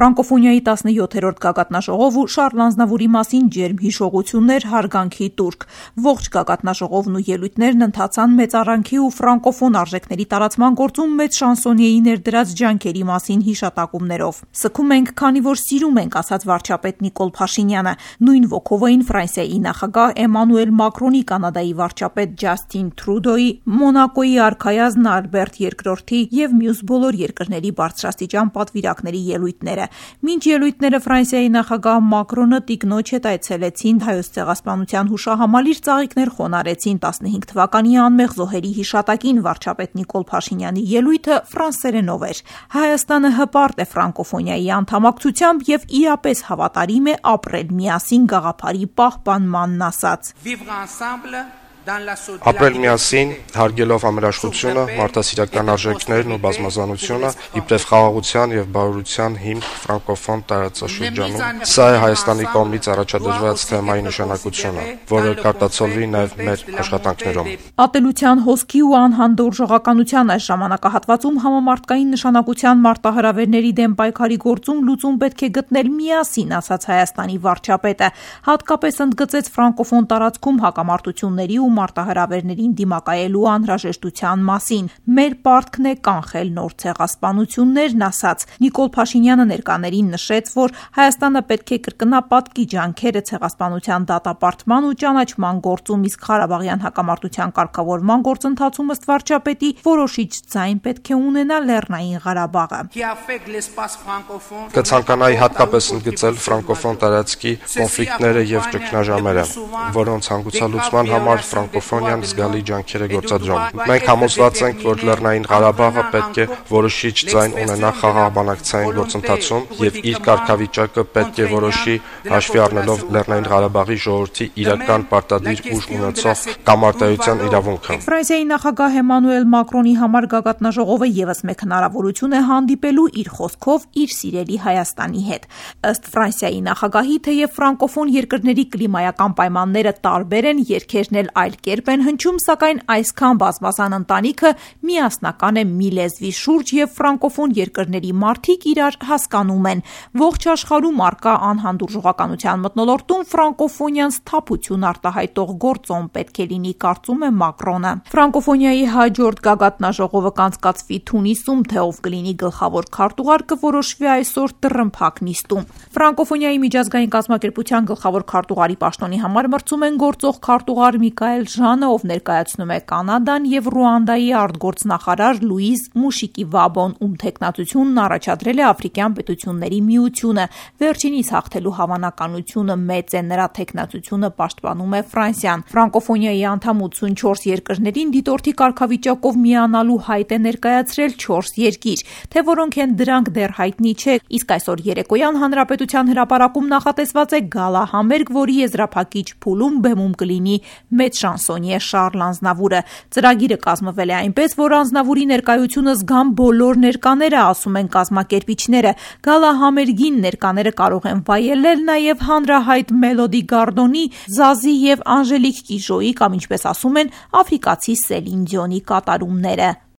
Ֆրանկոֆոնիայի 17-րդ գագաթնաժողով ու Շարլ Ազնավուրի մասին ջերմ հիշողություններ, հարգանքի տուրք։ Ողջ գագաթնաժողովն ու ելույթներն ընթացան մեծարանքի ու ֆրանկոֆոն արժեքների տարածման գործում մեծ շանսոնիեի ներդրած ջանքերի մասին հիշատակումներով։ Սգում ենք, քանի որ սիրում ենք, ասաց վարչապետ Նիկոլ Փաշինյանը։ Նույն ոգով էին Ֆրանսիայի նախագահ Էմանուել Մակրոնի, Կանադայի վարչապետ Ջասթին Թրուդոյի, Մոնակոյի արքայազն Ալբերտ II եւ մյուս բոլոր երկրների բարձրաստիճան պատվիրակների ելույթները։ Մինչ ելույթները Ֆրանսիայի նախագահ Մակրոնը տիկնոջ հետ այցելեցին Հայոց ցեղասպանության հուշահամալիր ծաղիկներ խոնարհեցին 15 թվականի անմեղ զոհերի հիշատակին, վարչապետ Նիկոլ Փաշինյանի ելույթը ֆրանսերենով էր։ Հայաստանը հպարտ է ֆրանկոֆոնիայի անդամակցությամբ եւ իրապես հավատարիմ է ապրել միասին գաղափարի պահպանմանն, ասաց. Ապրել միասին, հարգելով համերաշխությունը, մարդասիրական արժեքներն ու բազմազանությունը, իբրև խաղաղության եւ բարօրության հիմք ֆրանկոֆոն տարածաշրջանում։ Սա է Հայաստանի կողմից առաջադրված թեմայի նշանակությունը, որը կարտացոլվի նաեւ մեր աշխատանքներում։ Ատելության, հոսքի ու անհանդուրժողականության այս ժամանակահատվածում համամարտկային նշանակության մարտահրավերների դեմ պայքարի գործում լուծում պետք է գտնել միասին, ասաց Հայաստանի վարչապետը։ Հատկապես ընդգծեց ֆրանկոֆոն տարածքում հակամարտությունների ու մարտահրավերներին դիմակայելու անհրաժեշտության մասին։ Մեր պարտքն է կանխել նոր ցեղասպանություններն, ասաց։ Նիկոլ Փաշինյանը ներկաներին նշեց, որ Հայաստանը պետք է կրկնա պատկի ջանքերը ցեղասպանության դատապարտման ու ճանաչման գործում, իսկ Ղարաբաղյան հակամարտության կարգավորման գործընթացում, ըստ վարչապետի, որոշիչ ձայն պետք է ունենա Լեռնային Ղարաբաղը։ Կցանկանայի հատկապես ընդգծել ֆրանկոֆոն տարածքի կոնֆլիկտները եւ ճգնաժամերը, որոնց հանգուցալուծման համար ֆրանկոֆոնիան զգալի ջանքեր է գործադրում։ Մենք համոզված ենք, որ Լեռնային Ղարաբաղը պետք է որոշիչ ձայն ունենա խաղաղ բանակցային գործընթացում եւ իր կարգավիճակը պետք է որոշի, հաշվի առնելով Լեռնային Ղարաբաղի ժողովրդի իրական պարտադիր ուժ ունեցող կամարտայության իրավունքը։ Ֆրանսիայի նախագահ Էմանուել Մակրոնի համար գագաթնաժողովը եւս մեկ հնարավորություն է հանդիպելու իր խոսքով իր սիրելի Հայաստանի հետ։ Ըստ Ֆրանսիայի նախագահի, թեև ֆրանկոֆոն երկրների կլիմայական պայմանները տարբեր են, երգերն էլ այլ կերպ են հնչում, սակայն այսքան բազմազան ընտանիքը միասնական է մի լեզվի շուրջ եւ ֆրանկոֆոն երկրների մարդիկ իրար հասկանում են։ Ողջ աշխարհում արկա անհանդուրժողականության մթնոլորտում ֆրանկոֆոնիան սթափություն արտահայտող գործոն պետք է լինի, կարծում է Մակրոնը։ Ֆրանկոֆոնիայի հաջորդ գագաթնաժողովը կանցկացվի Թունիսում, թե ով կլինի գլխավոր քարտուղար կորոշվի այսօր տրմփակ նիստում։ Ֆրանկոֆոնիայի միջազգային կազմակերպության գլխավոր քարտուղարի պաշտոնի համար մրցում են գործող քարտուղար Միկայել Ժանը, ով ներկայացնում է Կանադան, եւ Ռուանդայի արտգործնախարար Լուիզ Մուշիկիվաբոն, ում թեկնածությունն առաջադրել է Աֆրիկյան պետությունների միությունը։ Վերջինիս հաղթելու հավանականությունը մեծ է, նրա թեկնածությունը պաշտպանում է Ֆրանսիան։ Ֆրանկոֆոնիայի անդամ 84 երկրներին դիտորդի կարգավիճակով միանալու հայտ է ներկայացրել 4 երկիր, թե որոնք են դրանք դեռ հայտնի չէ, իսկ այսօր երեկոյան Հանրապետության հրապարակում նախատեսված է գալա համերգ, որի եզրափակիչ փուլում բեմում կլինի մեծ շանսոնիե Շարլ Ազնավուրը։ Ծրագիրը կազմվել է այնպես, որ Ազնավուրի ներկայությունը զգան բոլոր ներկաները, ասում են կազմակերպիչները։ Գալա համերգին ներկաները կարող են վայելել նաև հանրահայտ Մելոդի Գարդոնի, Զազի եւ Անժելիկ Կիժոյի կամ, ինչպես ասում են, աֆրիկացի Սելին Դիոնի կատարումները։